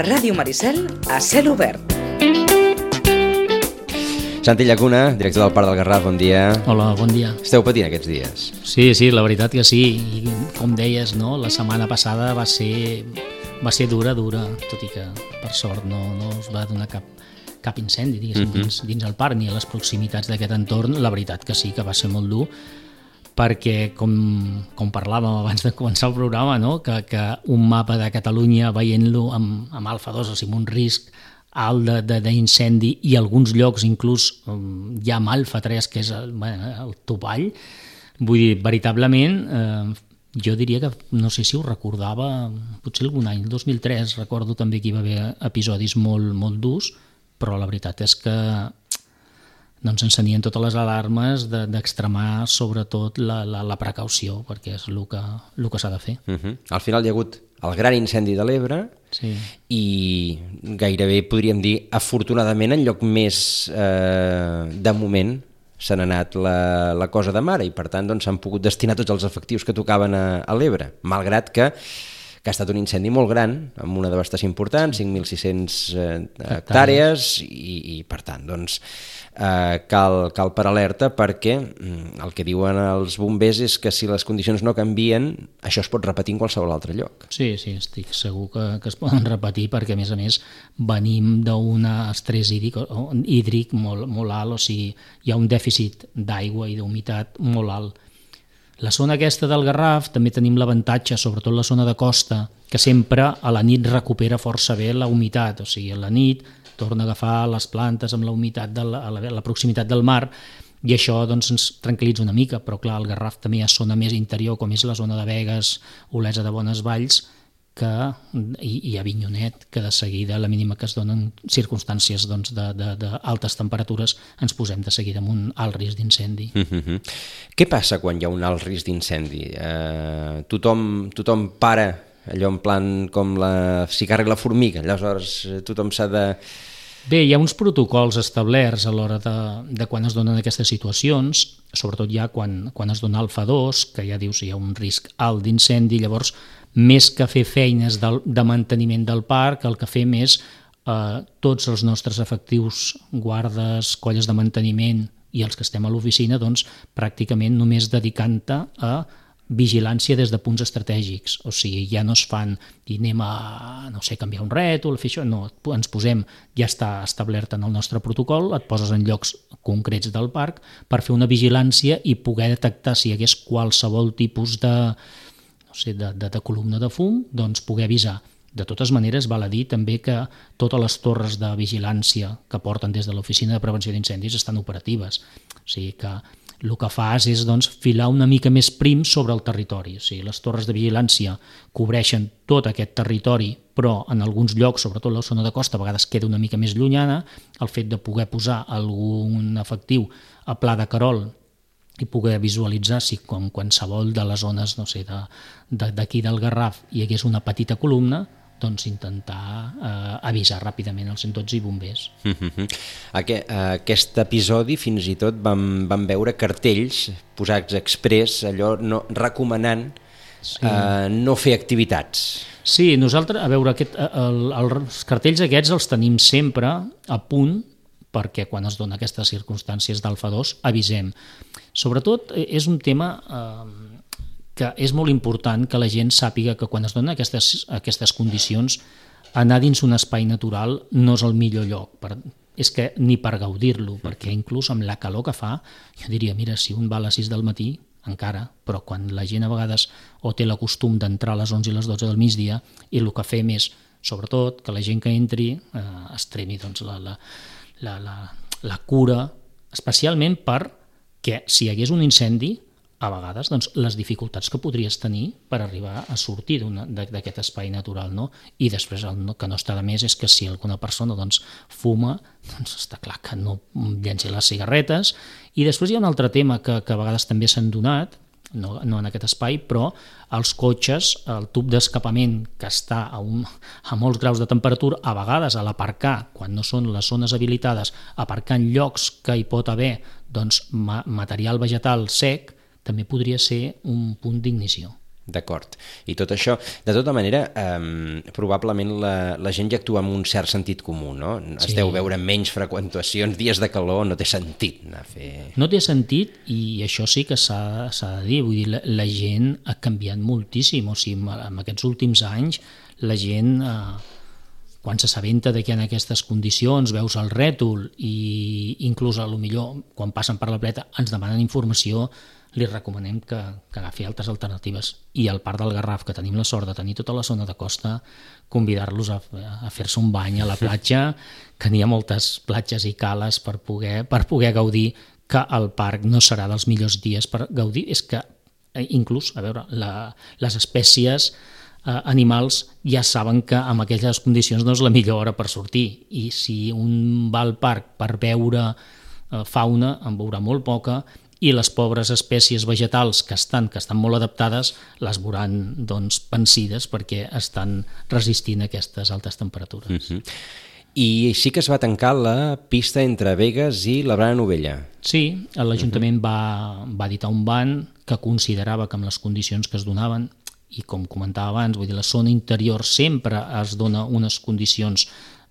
Ràdio Maricel a cel obert. Santi Llacuna, director del Parc del Garraf, bon dia. Hola, bon dia. Esteu patint aquests dies? Sí, la veritat que sí. I com deies, no? La setmana passada va ser dura, tot i que per sort no es va donar cap incendi, diguéssim, dins el parc ni a les proximitats d'aquest entorn. La veritat que sí, que va ser molt dur, perquè com parlàvem abans de començar el programa, no? que un mapa de Catalunya veient-lo amb alfa 2, o sigui, amb un risc alt d'incendi, i alguns llocs inclús ja amb alfa 3, que és el topall. Vull dir, veritablement, jo diria que, no sé si ho recordava, potser algun any, el 2003, recordo també que hi va haver episodis molt, molt durs, però la veritat és que doncs encenien totes les alarmes d'extremar sobretot la precaució, perquè és el que s'ha de fer. Al final hi ha hagut el gran incendi de l'Ebre, sí. I gairebé podríem dir, afortunadament, en lloc més de moment s'ha anat la cosa de mare, i per tant doncs, s'han pogut destinar tots els efectius que tocaven a l'Ebre, malgrat que ha estat un incendi molt gran, amb una devastació important, 5.600 hectàrees, i per tant, doncs, cal per alerta, perquè el que diuen els bombers és que si les condicions no canvien, això es pot repetir en qualsevol altre lloc. Sí, estic segur que es poden repetir, perquè a més venim d'un estrès hídric molt alt, o sigui, hi ha un dèficit d'aigua i d'humitat molt alt. La zona aquesta del Garraf també tenim l'avantatge, sobretot la zona de costa, que sempre a la nit recupera força bé la humitat, o sigui, a la nit torna a agafar les plantes amb la humitat a la proximitat del mar, i això doncs, ens tranquil·litza una mica, però clar, al Garraf també hi ha zona més interior, com és la zona de Begues, Olesa de Bonesvalls, i Avinyonet, que de seguida, a la mínima que es donen circumstàncies doncs, d'altes temperatures, ens posem de seguida amb un alt risc d'incendi. Què passa quan hi ha un alt risc d'incendi? Tothom para, allò en plan com si carrega la formiga, aleshores tothom s'ha de... Bé, hi ha uns protocols establerts a l'hora de quan es donen aquestes situacions, sobretot ja quan es dona alfa 2, que ja dius hi ha un risc alt d'incendi, llavors més que fer feines de manteniment del parc, el que fem és tots els nostres efectius, guardes, colles de manteniment i els que estem a l'oficina, doncs pràcticament només dedicant-te a vigilància des de punts estratègics, o sigui, ja no es fan i anem a, no sé, canviar un rètol, fer això, no, ens posem, ja està establert en el nostre protocol, et poses en llocs concrets del parc per fer una vigilància i poder detectar si hi hagués qualsevol tipus de columna de fum, doncs poder avisar. De totes maneres, val a dir també que totes les torres de vigilància que porten des de l'Oficina de Prevenció d'Incendis estan operatives. O sigui que el que fas és doncs, filar una mica més prim sobre el territori. O sigui, les torres de vigilància cobreixen tot aquest territori, però en alguns llocs, sobretot la zona de costa, a vegades queda una mica més llunyana. El fet de poder posar algun efectiu a Pla de Querol i poder visualitzar si com qualsevol de les zones, no sé, d'aquí del Garraf hi hagués una petita columna, doncs intentar avisar ràpidament els 112 i bombers. Aquest episodi fins i tot vam veure cartells posats exprés, allò recomanant no fer activitats. Sí, nosaltres, a veure, els cartells aquests els tenim sempre a punt, perquè quan es donen aquestes circumstàncies d'alfa 2 avisem. Sobretot és un tema que és molt important que la gent sàpiga que quan es donen aquestes condicions, anar dins un espai natural no és el millor lloc. És que ni per gaudir-lo, perquè inclús amb la calor que fa, jo diria, mira, si un va a les 6 del matí, encara, però quan la gent a vegades o té el costum d'entrar a les 11 i les 12 del migdia, i el que fem és, sobretot, que la gent que entri estreni doncs, la cura, especialment perquè si hi hagués un incendi, a vegades doncs, les dificultats que podries tenir per arribar a sortir d'aquest espai natural, no? I després el que no està de més és que si alguna persona doncs, fuma, doncs està clar que no llenci les cigarretes. I després hi ha un altre tema que a vegades també s'han donat, no en aquest espai, però els cotxes, el tub d'escapament que està a molts graus de temperatura, a vegades a l'aparcar, quan no són les zones habilitades, aparcar en llocs que hi pot haver doncs, material vegetal sec, també podria ser un punt d'ignició. D'acord. I tot això, de tota manera, probablement la gent ja actua amb un cert sentit comú, no? Sí. Es deu veure menys freqüentacions, dies de calor, no té sentit anar a fer... No té sentit, i això sí que s'ha de dir, vull dir, la gent ha canviat moltíssim, o sigui, en aquests últims anys la gent, quan s'assabenta que en aquestes condicions veus el rètol i inclús a lo millor quan passen per la pleta ens demanen informació, li recomanem que agafi altres alternatives. I al Parc del Garraf, que tenim la sort de tenir tota la zona de costa, convidar-los a fer-se un bany a la platja, que n'hi ha moltes platges i cales per poder gaudir, que el parc no serà dels millors dies per gaudir. És que inclús, a veure, les espècies animals ja saben que en aquelles condicions no és la millor hora per sortir, i si un va al parc per veure fauna en veurà molt poca, i les pobres espècies vegetals que estan molt adaptades les veuran pensides perquè estan resistint aquestes altes temperatures. I sí que es va tancar la pista entre Begues i la Brana Novella. Sí, l'Ajuntament va editar un ban que considerava que amb les condicions que es donaven, i com comentava abans, vull dir, la zona interior sempre es dona unes condicions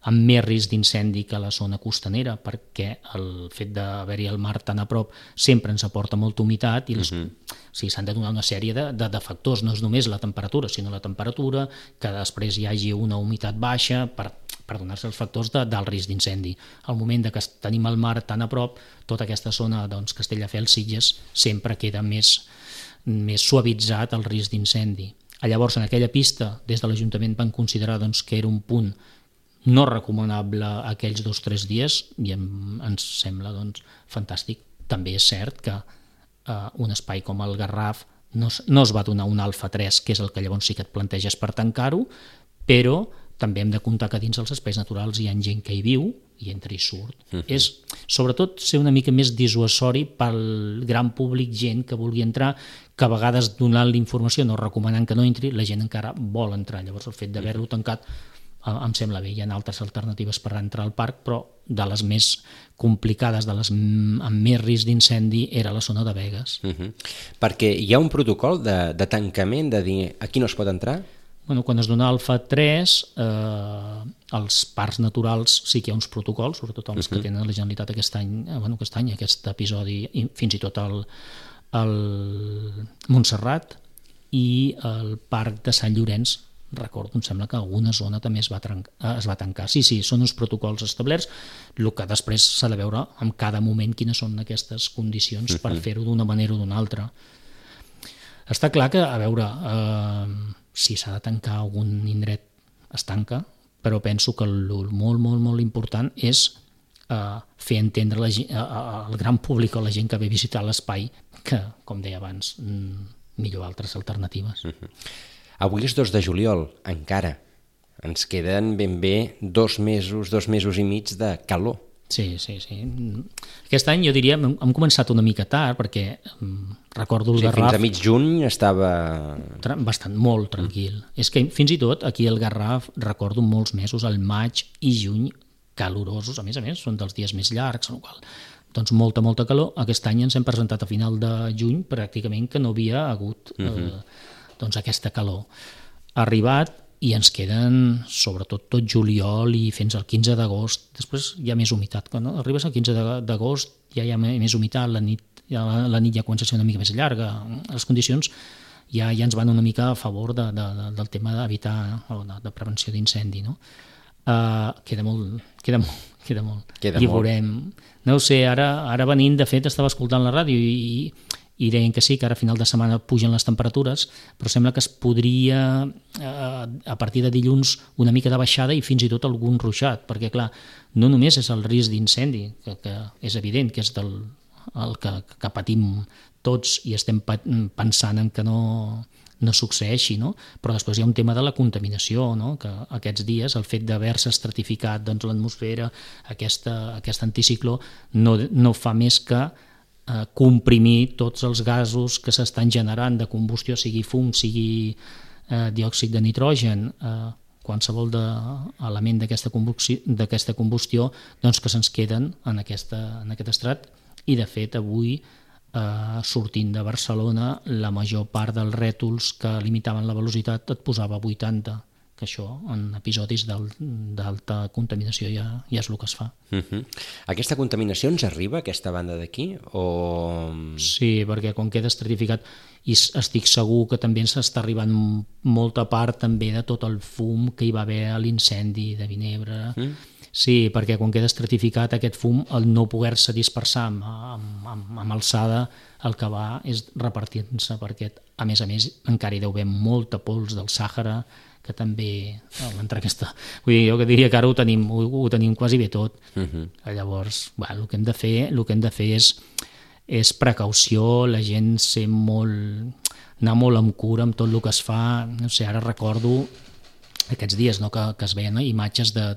amb més risc d'incendi que la zona costanera, perquè el fet d'haver-hi el mar tan a prop sempre ens aporta molta humitat, i s'han de donar una sèrie de factors, no és només la temperatura, sinó la temperatura, que després hi hagi una humitat baixa per donar-se els factors del risc d'incendi. Al moment que tenim el mar tan a prop, tota aquesta zona, Castelldefels, Sitges, sempre queda més suavitzat el risc d'incendi. Llavors, en aquella pista, des de l'Ajuntament van considerar que era un punt no recomanable aquells 2 o 3 dies, i ens sembla fantàstic. També és cert que un espai com el Garraf no es va donar un alfa 3, que és el que llavors sí que et planteges per tancar-ho, però també hem de comptar que dins els espais naturals hi ha gent que hi viu i entra i surt. És sobretot ser una mica més dissuasori pel gran públic, gent que vulgui entrar, que a vegades donant l'informació, no recomanant que no entri, la gent encara vol entrar. Llavors el fet d'haver-lo tancat em sembla bé. Hi ha altres alternatives per entrar al parc, però de les més complicades, de les amb més risc d'incendi, era la zona de Begues. Perquè hi ha un protocol de tancament, de dir aquí no es pot entrar? Quan es dona alfa 3, als parcs naturals sí que hi ha uns protocols, sobretot els que tenen la Generalitat aquest any, aquest episodi, i fins i tot el Montserrat, i el Parc de Sant Llorenç, recordo, em sembla que alguna zona també es va tancar. Sí, són uns protocols establerts, el que després s'ha de veure en cada moment quines són aquestes condicions per fer-ho d'una manera o d'una altra. Està clar que, a veure, si s'ha de tancar algun indret es tanca, però penso que el molt, molt, molt important és fer entendre al gran públic o la gent que ve a visitar l'espai que, com deia abans, millor altres alternatives. Avui és 2 de juliol, encara. Ens queden ben bé 2 mesos i mig de calor. Sí. Aquest any jo diria hem començat una mica tard, perquè recordo el Garraf... Fins a mig juny estava... molt tranquil. És que fins i tot aquí al Garraf recordo molts mesos, el maig i juny, calorosos, a més, són dels dies més llargs, en el qual... molta calor. Aquest any ens hem presentat a final de juny, pràcticament que no havia hagut aquesta calor. Ha arribat i ens queden sobretot tot juliol i fins al 15 d'agost. Després hi ha més humitat. Quan arribes al 15 d'agost ja hi ha més humitat, la nit ja comença a ser una mica més llarga. Les condicions ja ens van una mica a favor del tema d'evitar o de prevenció d'incendi. Queda molt. I veurem. No ho sé, ara venint, de fet, estava escoltant la ràdio i deien que sí, que ara a final de setmana pugen les temperatures, però sembla que es podria, a partir de dilluns, una mica de baixada i fins i tot algun ruixat, perquè, clar, no només és el risc d'incendi, que és evident que és el que patim tots i estem pensant en que no succeeixi, no? Però després hi ha un tema de la contaminació, no? Que aquests dies el fet d'haver-se estratificat l'atmosfera, aquest anticicló, no fa més que comprimir tots els gasos que s'estan generant de combustió, sigui fum, sigui diòxid de nitrogen, qualsevol element d'aquesta combustió, doncs que se'ns queden en aquest estrat. I de fet avui sortint de Barcelona, la major part dels rètols que limitaven la velocitat et posava 80, que això en episodis d'alta contaminació ja és el que es fa. Aquesta contaminació ens arriba a aquesta banda d'aquí? O... Sí, perquè com queda estratificat, i estic segur que també ens està arribant molta part també de tot el fum que hi va haver a l'incendi de Vinebre. Sí, perquè quan queda estratificat aquest fum, el no poder-se dispersar amb alçada, el que va és repartir-se, perquè a més encara hi deu haver molta pols del Sàhara, que també entre aquesta... Vull dir, jo que diria que ara ho tenim quasi bé tot. Llavors, el que hem de fer és precaució, la gent anar molt amb cura amb tot el que es fa. No sé, ara recordo aquests dies, no, que es veien imatges de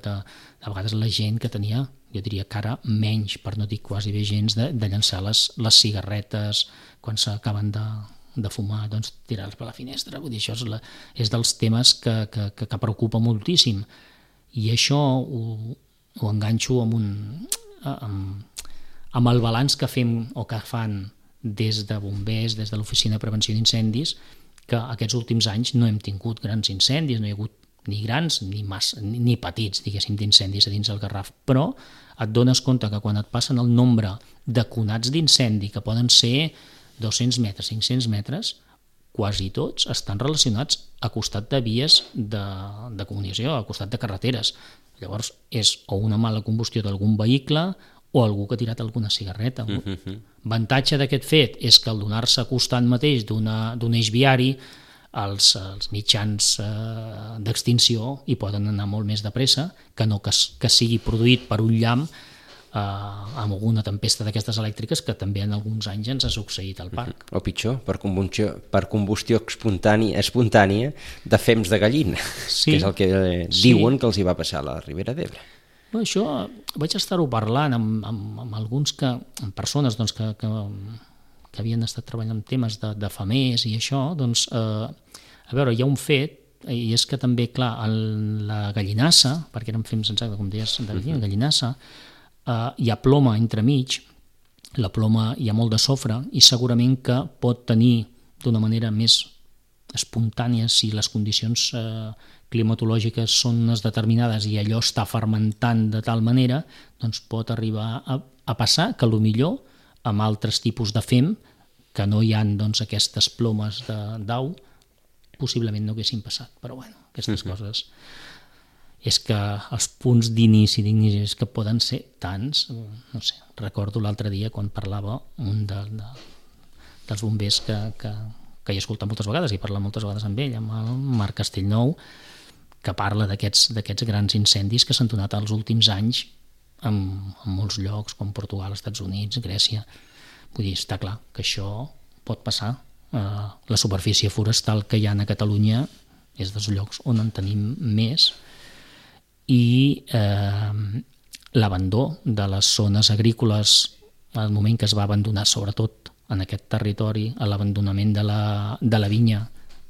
vegades la gent que tenia, jo diria que ara menys, per no dir quasi bé gens, de llançar les cigarretes quan s'acaben de fumar, doncs tirar-les per la finestra. Vull dir, això és dels temes que preocupa moltíssim. I això ho enganxo amb el balanç que fem o que fan des de bombers, des de l'Oficina de Prevenció d'Incendis, que aquests últims anys no hem tingut grans incendis, no hi ha hagut ni grans ni petits, diguéssim, d'incendis a dins del Garraf, però et dones compte que quan et passen el nombre de conats d'incendi, que poden ser 200 metres, 500 metres, quasi tots estan relacionats a costat de vies de comunicació, a costat de carreteres. Llavors és o una mala combustió d'algun vehicle o algú que ha tirat alguna cigarreta. L'avantatge d'aquest fet és que al donar-se a costat mateix d'un eix viari, els mitjans d'extinció hi poden anar molt més de pressa que no que sigui produït per un llamp amb alguna tempesta d'aquestes elèctriques, que també en alguns anys ens ha succeït al parc. O pitjor, per combustió espontània de fems de gallina, que és el que diuen que els hi va passar a la Ribera d'Ebre. Això vaig estar-ho parlant amb alguns amb persones doncs, que havien estat treballant en temes de famers i això, doncs, a veure, hi ha un fet, i és que també, clar, la gallinassa, perquè eren fems, exacte, com deies, de gallinassa, hi ha ploma entremig, la ploma hi ha molt de sofre i segurament que pot tenir d'una manera més espontània, si les condicions climatològiques són unes determinades i allò està fermentant de tal manera, doncs pot arribar a passar que potser amb altres tipus de fem, que no hi ha doncs, aquestes plomes d'au, possiblement no haguessin passat. Però bueno, aquestes coses... És que els punts d'inici és que poden ser tants, no sé, recordo l'altre dia quan parlava un dels bombers que he escoltat moltes vegades, i parlat moltes vegades amb ell, amb el Marc Castellnou, que parla d'aquests grans incendis que s'han donat els últims anys en molts llocs, com Portugal, Estats Units, Grècia. Vull dir, està clar que això pot passar. La superfície forestal que hi ha a Catalunya és dels llocs on en tenim més, i l'abandó de les zones agrícoles al moment que es va abandonar, sobretot en aquest territori, l'abandonament de la vinya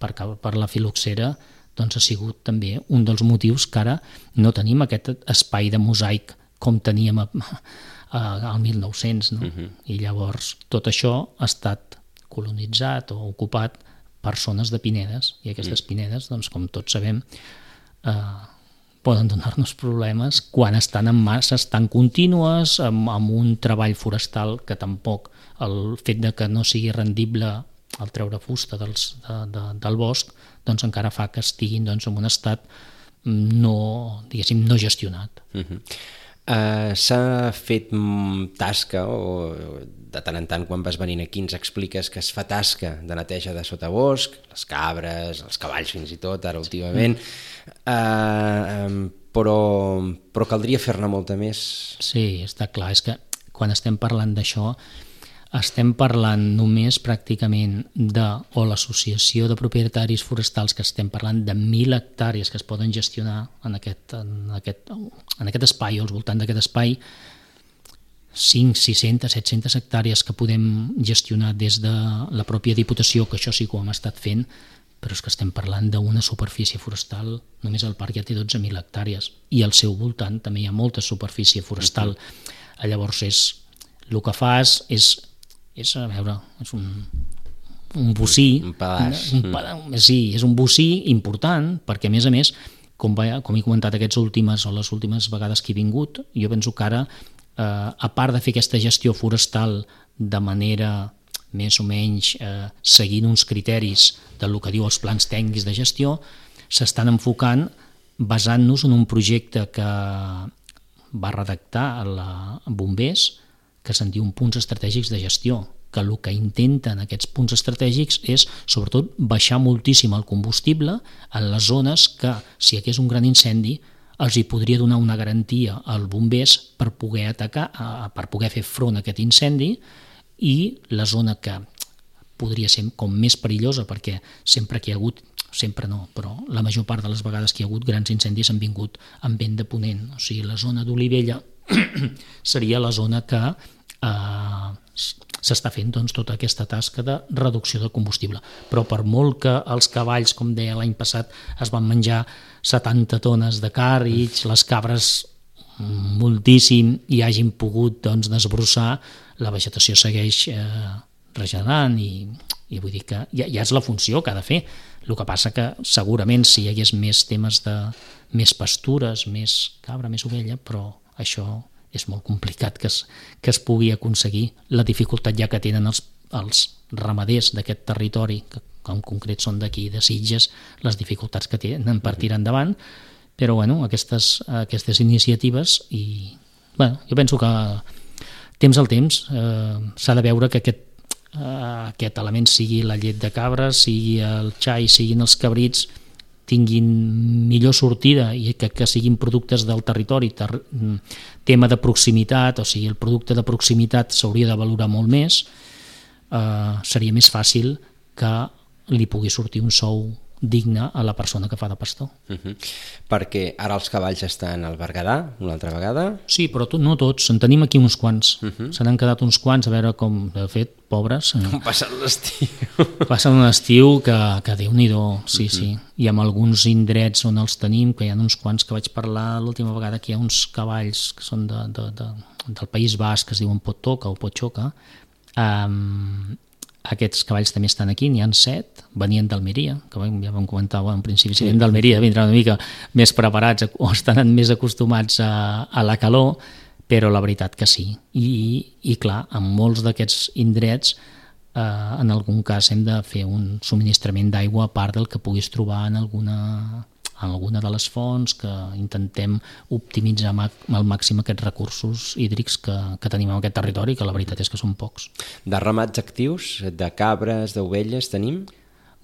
per la filoxera, doncs ha sigut també un dels motius que ara no tenim aquest espai de mosaic com teníem al 1900, no? I llavors tot això ha estat colonitzat o ocupat per zones de pinedes, i aquestes pinedes, doncs, com tots sabem, poden donar-nos problemes quan estan en masses tan contínues, amb un treball forestal que tampoc el fet de que no sigui rendible el treure fusta del bosc, doncs encara fa que estiguin doncs, en un estat no gestionat. S'ha fet tasca, o de tant en tant quan vas venint aquí ens expliques que es fa tasca de neteja de sotabosc, les cabres, els cavalls fins i tot, ara últimament, però caldria fer-ne molta més. Sí, està clar, és que quan estem parlant d'això estem parlant només pràcticament o l'associació de propietaris forestals, que estem parlant de 1.000 hectàrees que es poden gestionar en aquest espai o al voltant d'aquest espai, 5, 600, 700 hectàrees que podem gestionar des de la pròpia Diputació, que això sí que ho hem estat fent, però és que estem parlant d'una superfície forestal, només el parc ja té 12.000 hectàrees i al seu voltant també hi ha molta superfície forestal. Llavors el que fas és és, a veure, és un bocí, un pedaç. Sí, és un bocí important, perquè a més, com he comentat les últimes vegades que he vingut, jo penso que ara, a part de fer aquesta gestió forestal de manera més o menys seguint uns criteris del que diu els plans tècnics de gestió, s'estan enfocant basant-nos en un projecte que va redactar Bombers, que se'n diu punts estratègics de gestió, que el que intenten aquests punts estratègics és, sobretot, baixar moltíssim el combustible en les zones que, si hi hagués un gran incendi, els hi podria donar una garantia als bombers per poder atacar, per poder fer front a aquest incendi, i la zona que podria ser com més perillosa, perquè sempre que hi ha hagut, sempre no, però la major part de les vegades que hi ha hagut grans incendis han vingut amb vent de ponent, o sigui, la zona d'Olivella seria la zona que s'està fent doncs, tota aquesta tasca de reducció de combustible. Però per molt que els cavalls, com deia l'any passat, es van menjar 70 tones de càrrecs, les cabres moltíssim, i hagin pogut doncs, desbrossar, la vegetació segueix regenerant i vull dir que ja és la funció que ha de fer. El que passa que segurament si hi hagués més temes de més pastures, més cabra, més ovella, però això és molt complicat que es pugui aconseguir. La dificultat ja que tenen els ramaders d'aquest territori, que en concret són d'aquí, de Sitges, les dificultats que tenen per tirar endavant, però bueno, aquestes iniciatives, i bueno, jo penso que temps al temps s'ha de veure que aquest element, sigui la llet de cabra, sigui el xai, siguin els cabrits, tinguin millor sortida i que siguin productes del territori. Tema de proximitat, o sigui, el producte de proximitat s'hauria de valorar molt més, seria més fàcil que li pugui sortir un sou digne a la persona que fa de pastor. Perquè ara els cavalls estan al Berguedà, una altra vegada? Sí, però no tots, en tenim aquí uns quants. Se n'han quedat uns quants, a veure com, de fet, pobres. Com passen l'estiu. Passen un estiu que Déu-n'hi-do, sí. I amb alguns indrets on els tenim, que hi ha uns quants que vaig parlar l'última vegada, que hi ha uns cavalls que són del País Basc, que es diuen Pottoca o Potxoca. Aquests cavalls també estan aquí, n'hi ha 7, venien d'Almeria, que ja vam comentar en principi, si venen d'Almeria vindran una mica més preparats o estan més acostumats a la calor, però la veritat que sí. I clar, en molts d'aquests indrets, en algun cas hem de fer un subministrament d'aigua a part del que puguis trobar en alguna de les fonts, que intentem optimitzar al màxim aquests recursos hídrics que tenim en aquest territori, que la veritat és que són pocs. De ramats actius, de cabres, d'ovelles, tenim?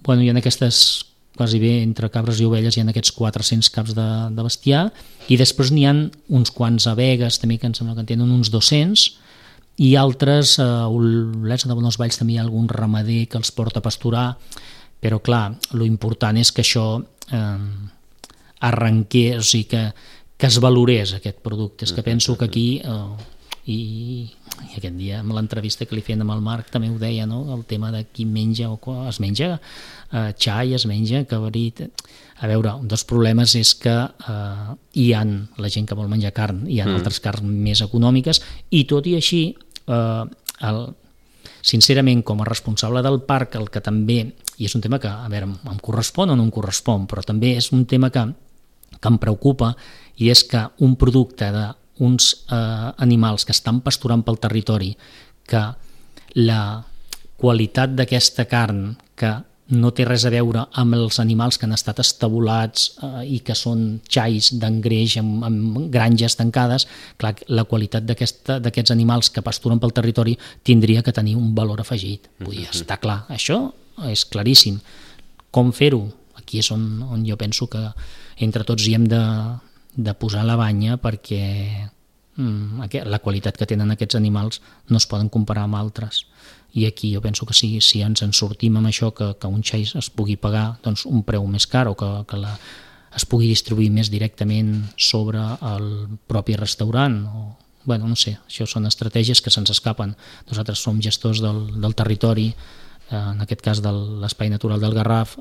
Bueno, hi ha aquestes, quasi bé, entre cabres i ovelles, hi ha aquests 400 caps de bestiar, i després n'hi ha uns quants abegues, també, que em sembla que en tenen uns 200, i altres, a Olesa de Bonesvalls també hi ha algun ramader que els porta a pasturar, però clar, lo important és que això arrenqués, o sigui, que es valorés aquest producte. És que penso que aquí, i aquest dia amb l'entrevista que li feien amb el Marc també ho deia, no? El tema de qui menja o es menja xai, es menja cabrit. A veure, un dels problemes és que hi ha la gent que vol menjar carn, hi ha altres carns més econòmiques, i tot i així, sincerament, com a responsable del parc, el que també, i és un tema que, a veure, em correspon o no em correspon, però també és un tema que em preocupa, i és que un producte d'uns animals que estan pasturant pel territori, que la qualitat d'aquesta carn, que no té res a veure amb els animals que han estat estabulats i que són xais d'engreix amb granges tancades, clar, la qualitat d'aquests animals que pasturen pel territori tindria que tenir un valor afegit. Vull dir, està clar, això és claríssim. Com fer-ho? Aquí és on jo penso que entre tots hi hem de posar la banya, perquè la qualitat que tenen aquests animals no es poden comparar amb altres. I aquí jo penso que si ens en sortim amb això, que un xai es pugui pagar doncs, un preu més car, o que es pugui distribuir més directament sobre el propi restaurant, bueno, no sé, això són estratègies que se'ns escapen. Nosaltres som gestors del territori, en aquest cas de l'Espai Natural del Garraf,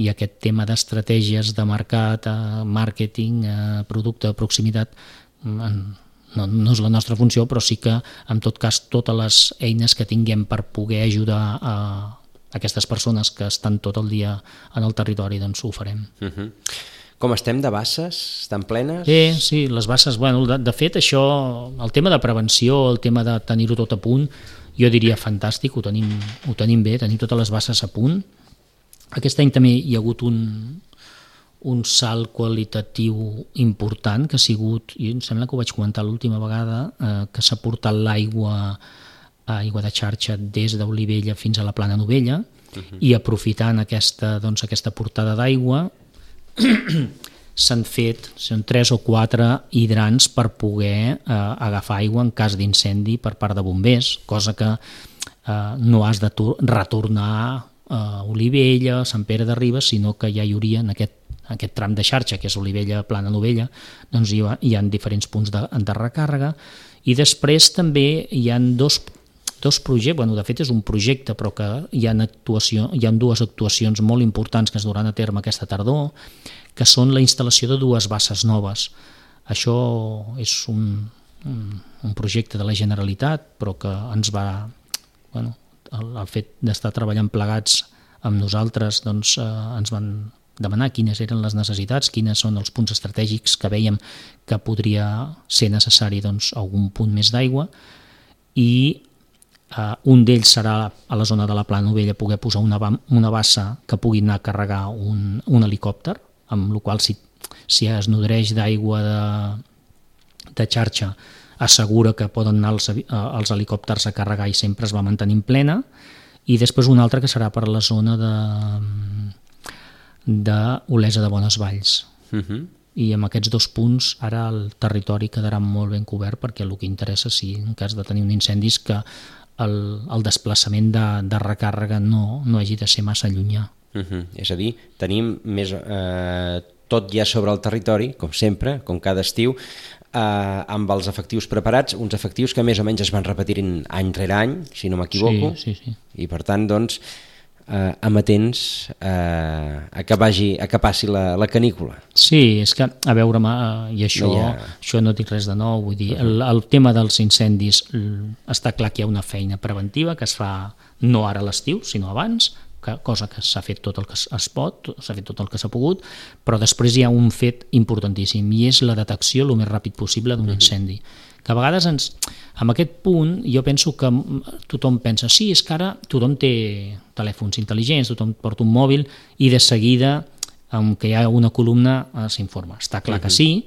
i aquest tema d'estratègies de mercat, màrqueting, producte de proximitat, no és la nostra funció, però sí que, en tot cas, totes les eines que tinguem per poder ajudar a aquestes persones que estan tot el dia en el territori, doncs ho farem. Com estem de basses? Estan plenes? Sí, les basses, bueno, de fet això, el tema de prevenció, el tema de tenir-ho tot a punt, jo diria fantàstic, ho tenim bé, tenim totes les basses a punt. Aquest any també hi ha hagut un salt qualitatiu important que ha sigut, i em sembla que ho vaig comentar l'última vegada, que s'ha portat l'aigua de xarxa des d'Olivella fins a la Plana Novella, i aprofitant aquesta portada d'aigua s'han fet 3 o 4 hidrants per poder agafar aigua en cas d'incendi per part de bombers, cosa que no has de retornar a Olivella, Sant Pere de Ribes, sinó que ja hi hauria en aquest tram de xarxa, que és Olivella, Plana Novella, doncs hi ha diferents punts de recàrrega. I després també hi ha dos projectes, bueno, de fet és un projecte, però que hi ha 2 actuacions molt importants que es duran a terme aquesta tardor, que són la instal·lació de 2 basses noves. Això és un projecte de la Generalitat, però que ens va... Bueno, el fet d'estar treballant plegats amb nosaltres, doncs ens van demanar quines eren les necessitats, quines són els punts estratègics que vèiem que podria ser necessari, doncs, algun punt més d'aigua, i un d'ells serà a la zona de la Plana Novella poder posar una bassa que pugui anar a carregar un helicòpter, amb la qual si es nodreix d'aigua de xarxa assegura que poden anar els helicòpters a carregar i sempre es va mantenint plena, i després una altra que serà per la zona d'Olesa de Bonesvalls. I amb aquests 2 punts ara el territori quedarà molt ben cobert, perquè el que interessa, si en cas de tenir un incendi, és que el desplaçament de recàrrega no hagi de ser massa llunyà. És a dir, tenim més tot ja sobre el territori, com sempre, com cada estiu, amb els efectius preparats, uns efectius que més o menys es van repetint any rere any, si no m'equivoco, sí. I per tant, doncs, amatents a que passi la canícula. Sí, és que, a veure, i això no dic res de nou, vull dir, el tema dels incendis està clar que hi ha una feina preventiva que es fa no ara a l'estiu, sinó abans, cosa que s'ha fet tot el que es pot, s'ha fet tot el que s'ha pogut, però després hi ha un fet importantíssim, i és la detecció el més ràpid possible d'un incendi. Que a vegades en aquest punt jo penso que tothom pensa, sí, és que ara tothom té telèfons intel·ligents, tothom porta un mòbil i de seguida, que hi ha una columna, s'informa. Està clar que sí,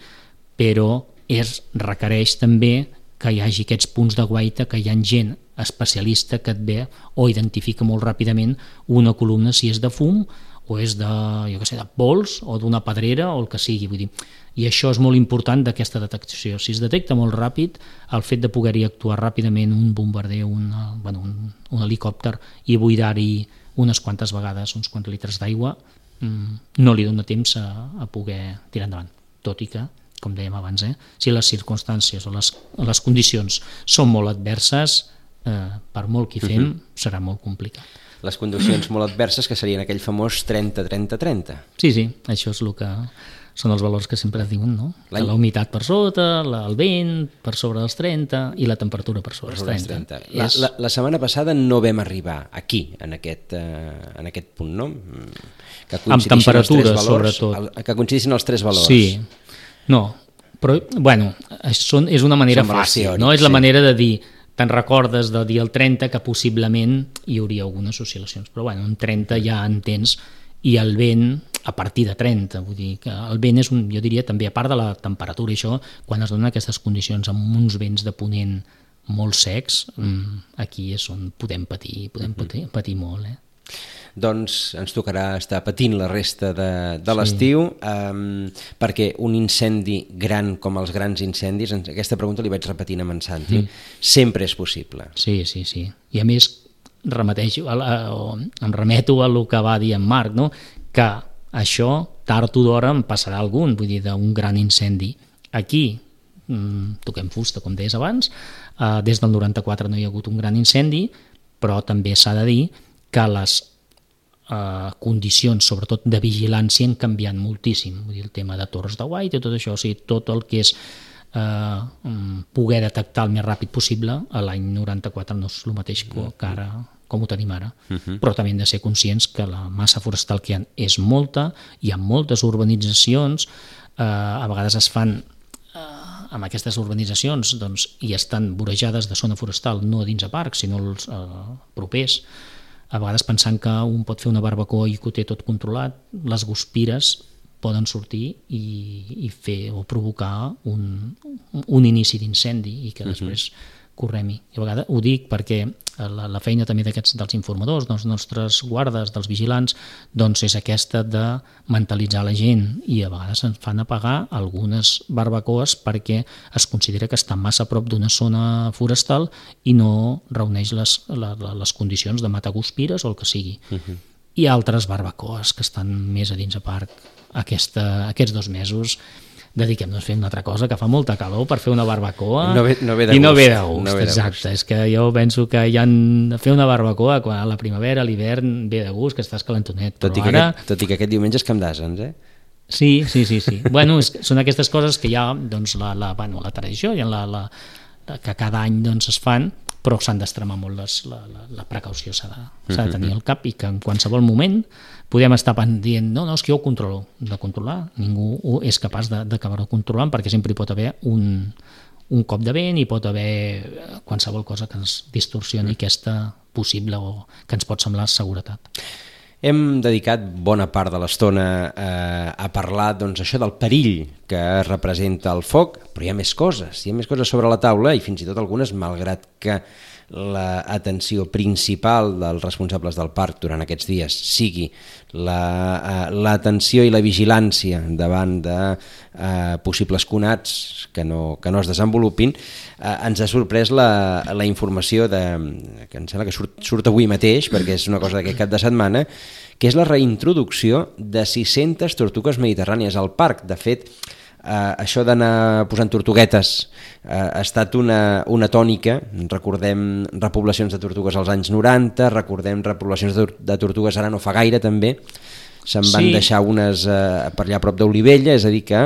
però requereix també que hi hagi aquests punts de guaita, que hi ha gent especialista que et ve o identifica molt ràpidament una columna, si és de fum o és de, jo què sé, de pols o d'una pedrera o el que sigui, vull dir. I això és molt important d'aquesta detecció. Si es detecta molt ràpid, el fet de poder-hi actuar ràpidament un bombarder, un helicòpter, i buidar-hi unes quantes vegades uns quants litres d'aigua, no li dona temps a poder tirar endavant. Tot i que, com dèiem abans, si les circumstàncies o les condicions són molt adverses, per molt que hi fem, serà molt complicat. Les condicions molt adverses, que serien aquell famós 30-30-30. Sí, això és el que són els valors que sempre es diuen, no? La humitat per sota, el vent per sobre dels 30 i la temperatura per sobre dels 30. La setmana passada no vam arribar aquí, en aquest punt, no? Amb temperatura, sobretot. Que coincidissin els 3 valors. Sí, no, però, bueno, és una manera fàcil, no? És la manera de dir, te'n recordes de dir el 30 que possiblement hi hauria algunes oscil·lacions, però bueno, en 30 ja entens, i el vent a partir de 30, vull dir que el vent és, jo diria també, a part de la temperatura, i això, quan es donen aquestes condicions amb uns vents de ponent molt secs, aquí és on podem patir molt, Doncs ens tocarà estar patint la resta de l'estiu, perquè un incendi gran com els grans incendis, aquesta pregunta li vaig repetint amb en Santi, sempre és possible. Sí, i a més em remeto a el que va dir en Marc, no? Que això tard o d'hora en passarà algun, vull dir, d'un gran incendi. Aquí toquem fusta, com deies abans, des del 94 no hi ha hagut un gran incendi, però també s'ha de dir que les condicions, sobretot de vigilància, han canviat moltíssim. Vull dir, el tema de torres de guaita i tot això, o sigui, tot el que és poder detectar el més ràpid possible. A l'any 94 no és el mateix que ara, com ho tenim ara. Però també hem de ser conscients que la massa forestal que hi ha és molta, hi ha moltes urbanitzacions, a vegades es fan amb aquestes urbanitzacions i estan vorejades de zona forestal, no dins a parcs, sinó els propers, a vegades pensant que un pot fer una barbacoa i que ho té tot controlat, les guspires poden sortir i fer o provocar un inici d'incendi i que després correm-hi. I a vegades ho dic perquè la feina també dels informadors, dels nostres guardes, dels vigilants, doncs és aquesta de mentalitzar la gent, i a vegades ens fan apagar algunes barbacoes perquè es considera que està massa a prop d'una zona forestal i no reuneix les condicions de matar guspires o el que sigui. I altres barbacoes que estan més a dins a parc. Aquests 2 mesos dediquem-nos a fer una altra cosa, que fa molta calor per fer una barbacoa no ve de gust. Exacte, és que jo penso que fer una barbacoa a la primavera, a l'hivern, ve de gust, que estàs calentonet. Tot i que aquest diumenge és Camp d'Asens, eh? Sí. Bueno, són aquestes coses que hi ha la tradició, que cada any es fan, però s'han d'extremar molt, la precaució s'ha de tenir al cap, i que en qualsevol moment podem estar dient no, és que jo ho controlo. De controlar, ningú és capaç d'acabar-ho controlant, perquè sempre hi pot haver un cop de vent, i pot haver qualsevol cosa que ens distorsioni aquesta possible o que ens pot semblar seguretat. Hem dedicat bona part de l'estona a parlar això del perill que representa el foc, però hi ha més coses sobre la taula, i fins i tot algunes, malgrat que l'atenció principal dels responsables del parc durant aquests dies sigui l'atenció i la vigilància davant de possibles conats que no es desenvolupin, ens ha sorprès la informació que em sembla que surt avui mateix, perquè és una cosa d'aquest cap de setmana, que és la reintroducció de 600 tortugues mediterrànies al parc. De fet, això d'anar posant tortuguetes ha estat una tònica. Recordem repoblacions de tortugues als anys 90, recordem repoblacions de tortugues ara no fa gaire també, se'n van deixar unes per allà a prop d'Olivella, és a dir que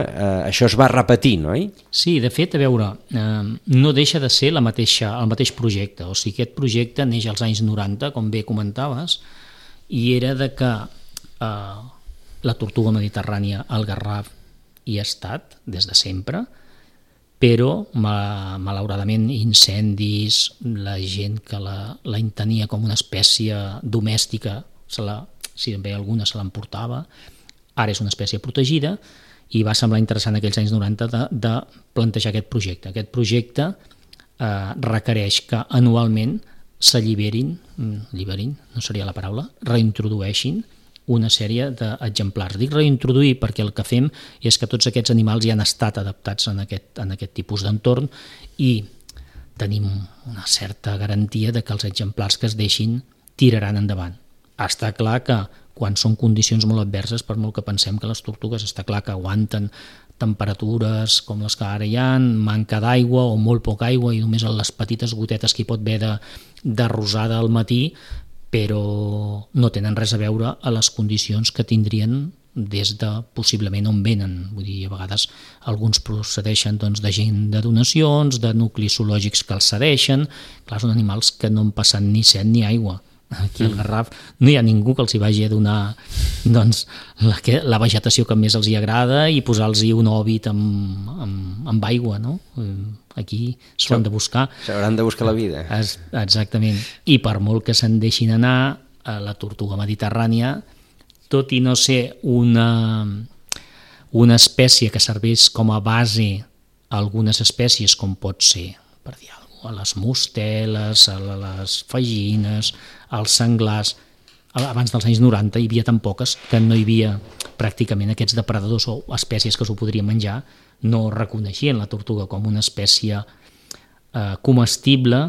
això es va repetir, no? Sí, de fet, a veure, no deixa de ser el mateix projecte, o sigui, aquest projecte neix als anys 90, com bé comentaves, i era de que la tortuga mediterrània, el garraf, hi ha estat des de sempre, però malauradament incendis, la gent que la entenia com una espècie domèstica, si en ve alguna se l'emportava, ara és una espècie protegida, i va semblar interessant aquells anys 90 de plantejar aquest projecte. Aquest projecte requereix que anualment s'alliberin, no seria la paraula, reintrodueixin una sèrie d'exemplars. Dic reintroduir perquè el que fem és que tots aquests animals ja han estat adaptats en aquest tipus d'entorn, i tenim una certa garantia de que els exemplars que es deixin tiraran endavant. Està clar que quan són condicions molt adverses, per molt que pensem que les tortugues està clar que aguanten temperatures com les que ara hi ha, manca d'aigua o molt poca aigua i només les petites gotetes que hi pot haver de rosada al matí, però no tenen res a veure a les condicions que tindrien des de possiblement on venen. Vull dir, a vegades alguns procedeixen de gent de donacions, de nuclis zoològics que els cedeixen. Clar, són animals que no han passat ni set ni aigua. Aquí al Garraf no hi ha ningú que els hi vagi a donar la vegetació que més els hi agrada i posar-los un òbit amb aigua, no? Aquí s'ho han de buscar. S'hauran de buscar la vida. Exactament. I per molt que se'n deixin anar, la tortuga mediterrània, tot i no ser una espècie que serveix com a base a algunes espècies, com pot ser, per dir alguna cosa, a les mosteles, a les fagines, als senglars, abans dels anys 90 hi havia tan poques que no hi havia pràcticament aquests depredadors o espècies que s'ho podrien menjar, no reconeixien la tortuga com una espècie comestible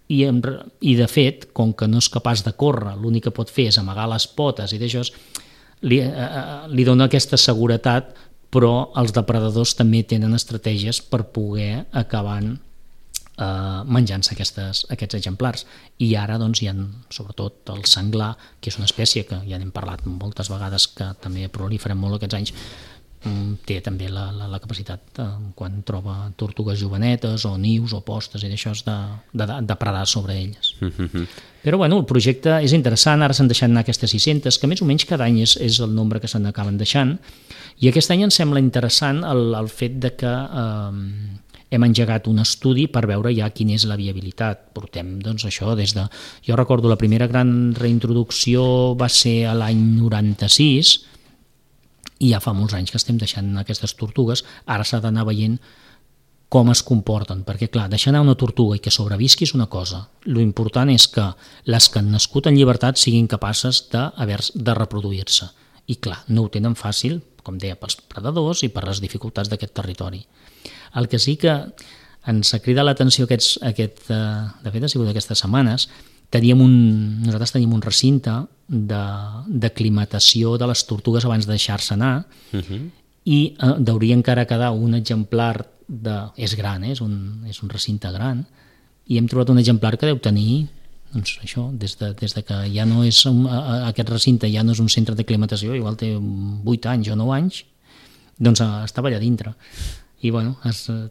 i de fet, com que no és capaç de córrer, l'únic que pot fer és amagar les potes i d'això li dona aquesta seguretat, però els depredadors també tenen estratègies per poder acabar menjant-se aquests exemplars. I ara hi ha sobretot el senglar, que és una espècie que ja n'hem parlat moltes vegades, que també prolifera molt aquests anys, té també la capacitat quan troba tortugues jovenetes o nius o postes i d'això de predar sobre elles. Però bueno, el projecte és interessant, ara s'han deixat anar aquestes 600, que més o menys cada any és el nombre que se n'acaben deixant, i aquest any ens sembla interessant el fet de que hem engegat un estudi per veure ja quina és la viabilitat. Portem, doncs, això des de... Jo recordo la primera gran reintroducció va ser a l'any 96, i ja fa molts anys que estem deixant aquestes tortugues. Ara s'ha d'anar veient com es comporten, perquè clar, deixar anar una tortuga i que sobrevisqui és una cosa. Lo important és que les que han nascut en llibertat siguin capaces de reproduir-se. I clar, no ho tenen fàcil, com deia, pels predadors i per les dificultats d'aquest territori. El que sí que ens ha cridat l'atenció de fet ha sigut aquestes setmanes, nosaltres teníem un recinte d'aclimatació de les tortugues abans de deixar-se anar, i hauria encara quedar un exemplar és gran, és un recinte gran, i hem trobat un exemplar que deu tenir, doncs això, des de que ja no és aquest recinte, ja no és un centre d'aclimatació, igual té 8 anys o 9 anys, doncs estava allà dintre. I bueno,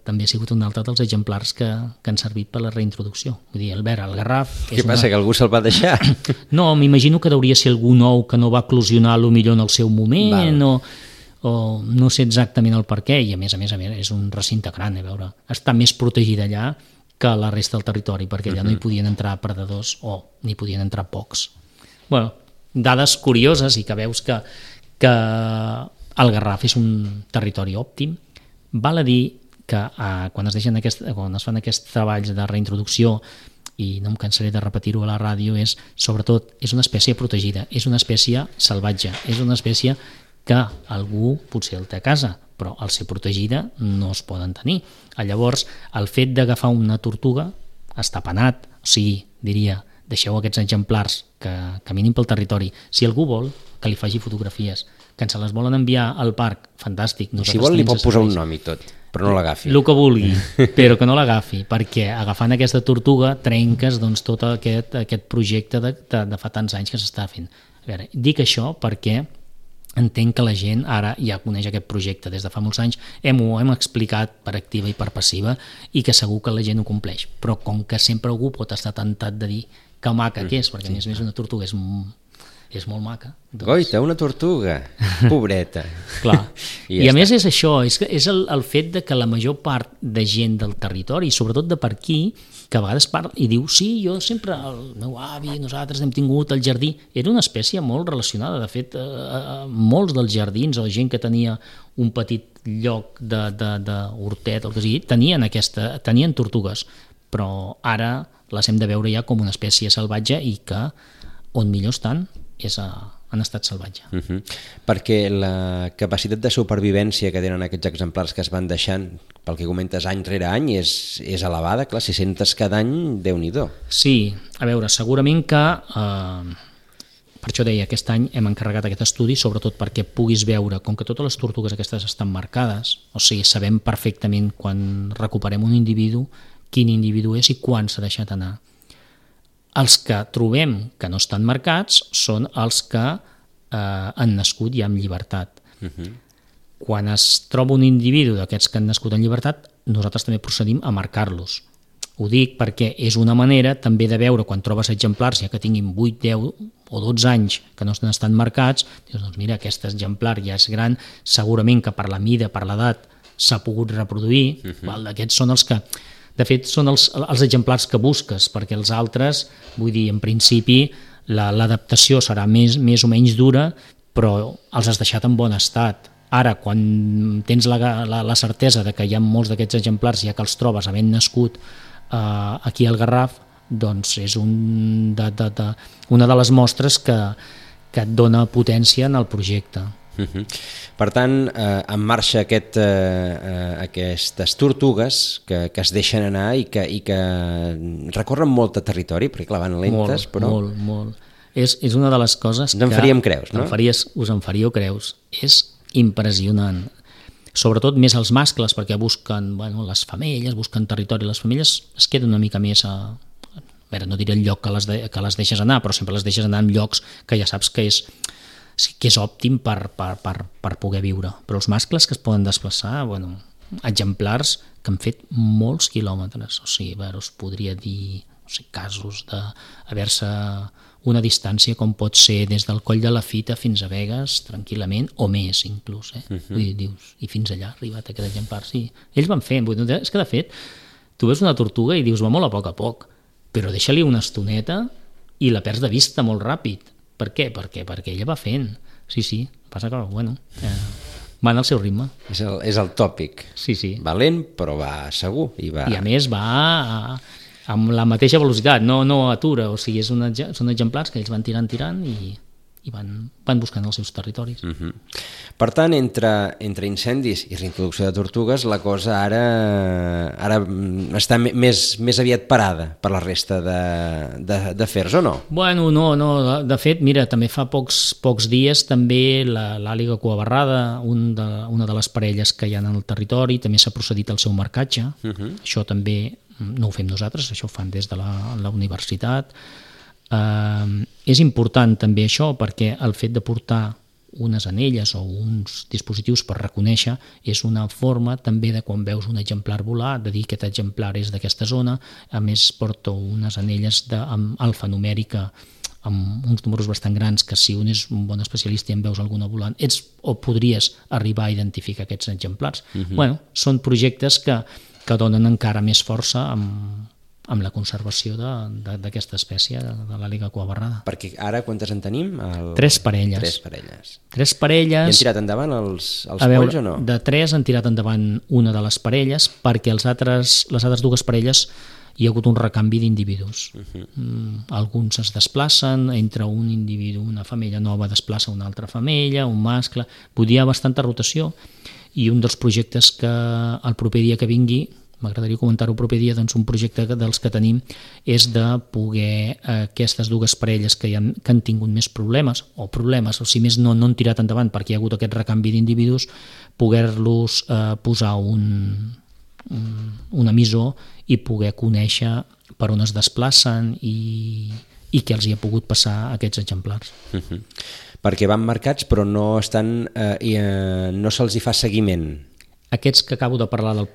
també ha sigut un altre dels exemplars que han servit per la reintroducció. Vull dir, el garraf... Què passa, que algú se'l va deixar? No, m'imagino que hauria ser algú nou que no va eclosionar potser en el seu moment, o no sé exactament el per què, i a més és un recinte gran, a veure, està més protegida allà que a la resta del territori, perquè allà no hi podien entrar predadors o n'hi podien entrar pocs. Bueno, dades curioses, i que veus que el Garraf és un territori òptim. Val a dir que quan es fan aquests treballs de reintroducció, i no em cansaré de repetir-ho a la ràdio, sobretot és una espècie protegida, és una espècie salvatge, és una espècie que algú potser el té a casa, però al ser protegida no es poden tenir. Llavors, el fet d'agafar una tortuga està penat, o sigui, diria, deixeu aquests exemplars que caminin pel territori. Si algú vol, que li faci fotografies, que ens les volen enviar al parc, fantàstic. Si vol li pot posar un nom i tot, però no l'agafi. El que vulgui, però que no l'agafi, perquè agafant aquesta tortuga trenques tot aquest projecte de fa tants anys que s'està fent. A veure, dic això perquè entenc que la gent ara ja coneix aquest projecte des de fa molts anys, ho hem explicat per activa i per passiva, i que segur que la gent ho compleix, però com que sempre algú pot estar tentat de dir que maca que és, perquè a més una tortuga és molt maca. Goita, una tortuga, pobreta. Clar, i a més és això, és el fet de que la major part de gent del territori, i sobretot de per aquí, que a vegades parla i diu, sí, jo sempre, el meu avi, nosaltres hem tingut el jardí, era una espècie molt relacionada. De fet, molts dels jardins o gent que tenia un petit lloc d'hortet, el que sigui, tenien tortugues, però ara les hem de veure ja com una espècie salvatge, i que on millor estan és en estat salvatge. Perquè la capacitat de supervivència que tenen aquests exemplars que es van deixant, pel que comentes, any rere any, és elevada, clar, 600 cada any, Déu-n'hi-do. Sí, a veure, segurament que per això deia, aquest any hem encarregat aquest estudi, sobretot perquè puguis veure, com que totes les tortugues aquestes estan marcades, o sigui, sabem perfectament quan recuperem un individu, quin individu és i quan s'ha deixat anar. Els que trobem que no estan marcats són els que han nascut ja en llibertat. Quan es troba un individu d'aquests que han nascut en llibertat, nosaltres també procedim a marcar-los. Ho dic perquè és una manera també de veure, quan trobes exemplars ja que tinguin 8, 10 o 12 anys que no estan marcats, dius, doncs mira, aquest exemplar ja és gran, segurament que per la mida, per l'edat, s'ha pogut reproduir. Aquests són els que... De fet, són els exemplars que busques, perquè els altres, vull dir, en principi, l'adaptació serà més o menys dura, però els has deixat en bon estat. Ara, quan tens la certesa de que hi ha molts d'aquests exemplars, ja que els trobes havent nascut aquí al Garraf, doncs és una de les mostres que et dona potència en el projecte. Per tant, en marxa aquestes tortugues que es deixen anar i que recorren molt de territori, perquè clar, van lentes, però... Molt. És una de les coses que... Ens en faríem creus, no? Us en faríeu creus. És impressionant. Sobretot més els mascles, perquè busquen les femelles, busquen territori. Les femelles es queden una mica més a veure, no diré el lloc que les deixes anar, però sempre les deixes anar en llocs que ja saps que és que és òptim per poder viure. Però els mascles que es poden desplaçar, bueno, exemplars que han fet molts quilòmetres, o sigui, us podria dir casos d'haver-se una distància com pot ser des del Coll de la Fita fins a Begues tranquil·lament, o més inclús, Vull dir, dius, i fins allà ha arribat aquest exemplar, sí. Ells van fent, és que de fet tu veus una tortuga i dius va molt a poc, però deixa-li una estoneta i la perds de vista molt ràpid. Per què? Perquè ella va fent. Sí, passa que, bueno, van al seu ritme. És el tòpic. Sí. Valent, però va segur. I a més va amb la mateixa velocitat, no atura, o sigui, són exemplars que ells van tirant i van buscant els seus territoris. Per tant, entre incendis i reintroducció de tortugues, la cosa ara està més aviat parada per la resta d'afers, o no? Bueno, no. De fet, mira, també fa pocs dies també l'àliga cuabarrada, una de les parelles que hi ha en el territori, també s'ha procedit al seu marcatge. Això també no ho fem nosaltres, això ho fan des de la universitat. És important també això perquè el fet de portar unes anelles o uns dispositius per reconèixer és una forma també de quan veus un exemplar volar, de dir que aquest exemplar és d'aquesta zona. A més porto unes anelles alfanumèrica amb uns números bastant grans que si un és un bon especialista i en veus alguna volant o podries arribar a identificar aquests exemplars. Bueno, són projectes que donen encara més força amb la conservació d'aquesta espècie, de l'àliga cuabarrada. Perquè ara quantes en tenim? 3 parelles. 3 parelles. I han tirat endavant els polls o no? De 3 han tirat endavant una de les parelles perquè les altres 2 parelles hi ha hagut un recanvi d'individus. Alguns es desplacen, entre un individu, una femella nova desplaça una altra femella, un mascle, hi ha bastanta rotació. I un dels projectes que el proper dia que vingui, m'agradaria comentar-ho el proper dia, doncs un projecte dels que tenim és de poder aquestes 2 parelles que han tingut més problemes, o si més no han tirat endavant perquè hi ha hagut aquest recanvi d'individus, poder-los posar un emissor i poder conèixer per on es desplacen i què els hi ha pogut passar a aquests exemplars. Perquè van marcats però no se'ls hi fa seguiment. Aquests que acabo de parlar de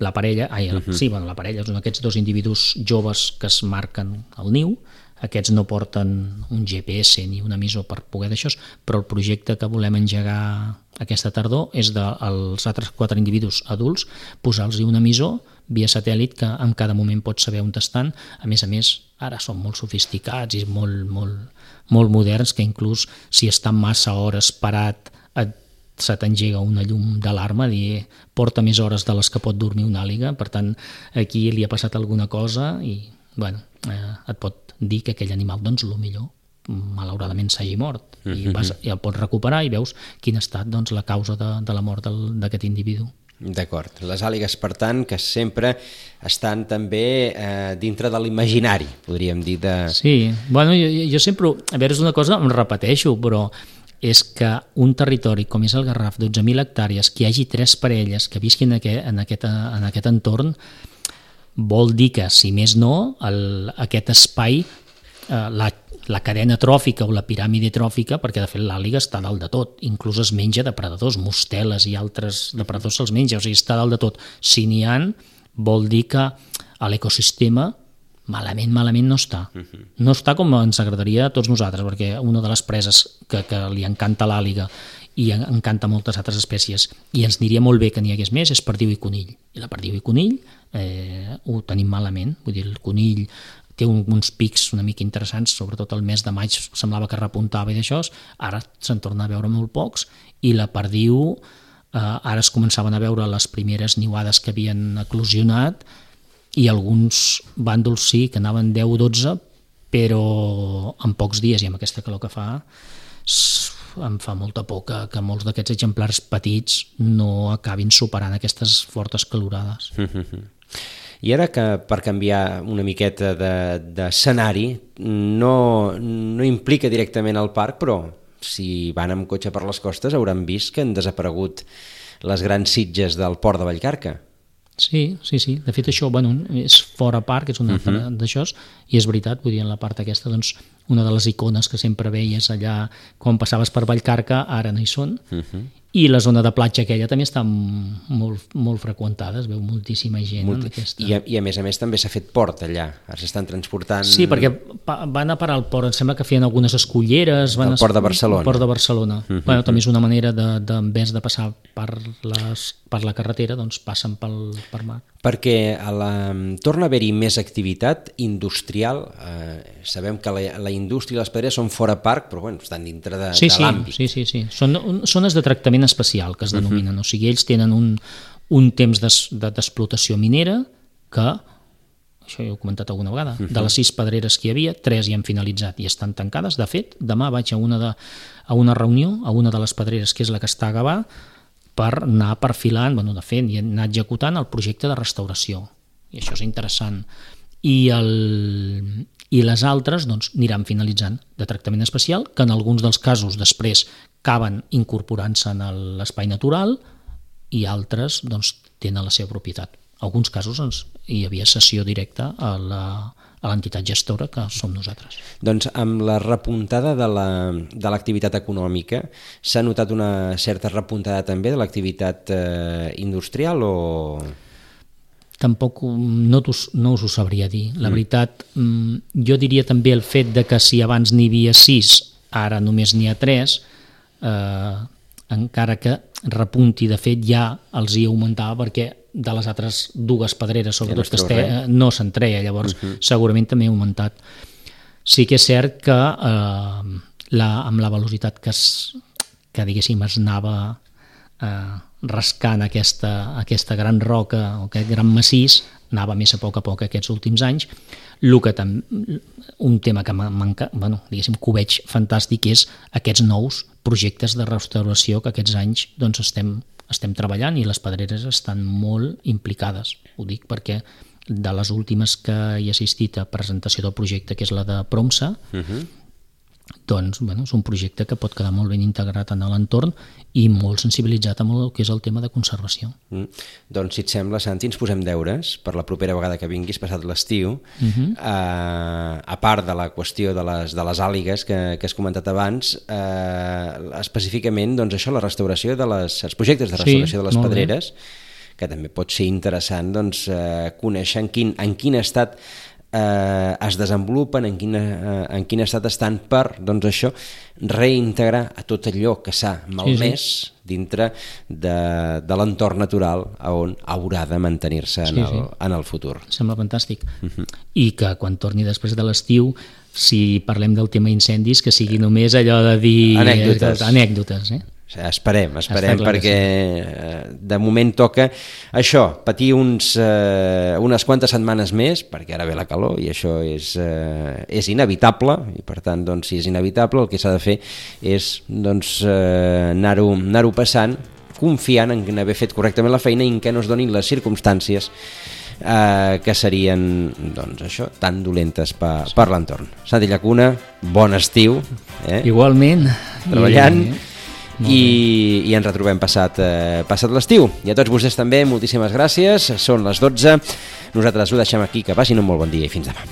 la parella, la parella són aquests 2 individus joves que es marquen al niu. Aquests no porten un GPS ni un emissor per poder d'això, però el projecte que volem engegar aquesta tardor és dels altres 4 individus adults posar-los un emissor via satèl·lit que en cada moment pots saber on estan. A més, ara són molt sofisticats i molt moderns, que inclús si estan massa hores parat se t'engega una llum d'alarma, dir porta més hores de les que pot dormir una àliga, per tant aquí li ha passat alguna cosa i et pot dir que aquell animal, doncs, el millor malauradament s'hagi mort i el pots recuperar i veus quin ha estat la causa de la mort d'aquest individu. D'acord. Les àligues, per tant, que sempre estan també dintre de l'imaginari, podríem dir. Sí, bueno, jo sempre, a veure, és una cosa, em repeteixo, però és que un territori com és el Garraf, 12.000 hectàrees, que hi hagi 3 parelles que visquin en aquest entorn, vol dir que, si més no, aquest espai, la cadena tròfica o la piràmide tròfica, perquè de fet l'àliga està dalt de tot, inclús es menja depredadors, mosteles i altres depredadors se'ls menja, o sigui, està dalt de tot. Si n'hi ha, vol dir que l'ecosistema malament no està. No està com ens agradaria a tots nosaltres, perquè una de les preses que li encanta l'àliga i encanta moltes altres espècies i ens aniria molt bé que n'hi hagués més és perdiu i conill. I la perdiu i conill ho tenim malament, vull dir, el conill té uns pics una mica interessants, sobretot el mes de maig semblava que repuntava i d'això, ara se'n torna a veure molt pocs, i la perdiu ara es començaven a veure les primeres niuades que havien eclosionat i alguns bàndols sí que anaven 10-12, però en pocs dies i amb aquesta calor que fa em fa molta por que molts d'aquests exemplars petits no acabin superant aquestes fortes calorades. I ara que per canviar una miqueta d'escenari no implica directament el parc, però si van amb cotxe per les costes hauran vist que han desaparegut les grans sitges del port de Vallcarca. Sí. De fet, això és fora parc, és una altra d'això, i és veritat, vull dir, en la part aquesta, doncs, una de les icones que sempre veies allà quan passaves per Vallcarca, ara no hi són, i la zona de platja aquella també està molt freqüentada, es veu moltíssima gent en aquesta. I a més també s'ha fet port allà, ara s'estan transportant... Sí, perquè van a parar al port, em sembla que feien algunes esculleres... El port de Barcelona. El port de Barcelona. Bueno, també és una manera en vez de passar per la carretera, doncs passen per mar. Perquè torna a haver-hi més activitat industrial, sabem que la indústria i les pedreres són fora parc, però bueno, estan dintre de l'àmbit. Sí. Són zones de tractament especial, que es denominen. O sigui, ells tenen un temps d'explotació minera que, això ja ho he comentat alguna vegada, de les 6 pedreres que hi havia, 3 ja han finalitzat i estan tancades. De fet, demà vaig a una reunió, a una de les pedreres, que és la que està a Gavà, per anar perfilant, de fet, i anar executant el projecte de restauració. I això és interessant. I les altres doncs, aniran finalitzant de tractament especial, que en alguns dels casos després acaben incorporant-se en l'espai natural i altres doncs, tenen la seva propietat. En alguns casos hi havia cessió directa a l'entitat gestora, que som nosaltres. Doncs amb la repuntada de l'activitat econòmica, s'ha notat una certa repuntada també de l'activitat industrial o...? Tampoc no us ho sabria dir. La veritat, jo diria també el fet de que si abans n'hi havia 6, ara només n'hi ha 3, encara que repunti, de fet ja els hi augmentava perquè de les altres 2 pedreres, sobretot que no se'n treia, llavors segurament també ha augmentat. Sí que és cert que amb la velocitat que diguéssim es anava rascant aquesta gran roca o aquest gran massís, anava més a poc aquests últims anys. Un tema que diguéssim que ho veig fantàstic és aquests nous projectes de restauració que aquests anys doncs, estem treballant, i les pedreres estan molt implicades. Ho dic perquè de les últimes que he assistit a presentació del projecte, que és la de Promsa, doncs és un projecte que pot quedar molt ben integrat en l'entorn i molt sensibilitzat amb el que és el tema de conservació. Doncs si et sembla, Santi, ens posem deures per la propera vegada que vinguis, passat l'estiu, a part de la qüestió de les àligues que has comentat abans, específicament doncs això, la restauració els projectes de restauració de les pedreres, que també pot ser interessant doncs, conèixer en quin estat es desenvolupen, en quin estat estan per, doncs això, reintegrar a tot allò que s'ha malmès dintre de l'entorn natural on haurà de mantenir-se en el futur. Sembla fantàstic. I que quan torni després de l'estiu, si parlem del tema incendis, que sigui només allò de dir... Anècdotes. Esperem, perquè de moment toca això, patir unes quantes setmanes més, perquè ara ve la calor i això és inevitable, i per tant, doncs, si és inevitable, el que s'ha de fer és doncs, anar-ho passant, confiant en haver fet correctament la feina i en què no es donin les circumstàncies que serien doncs, això, tan dolentes per l'entorn. Santi Llacuna, bon estiu. Igualment. Treballant. I ens retrobem passat l'estiu. I a tots vostès també, moltíssimes gràcies. Són les 12. Nosaltres ho deixem aquí, que passin un molt bon dia i fins demà.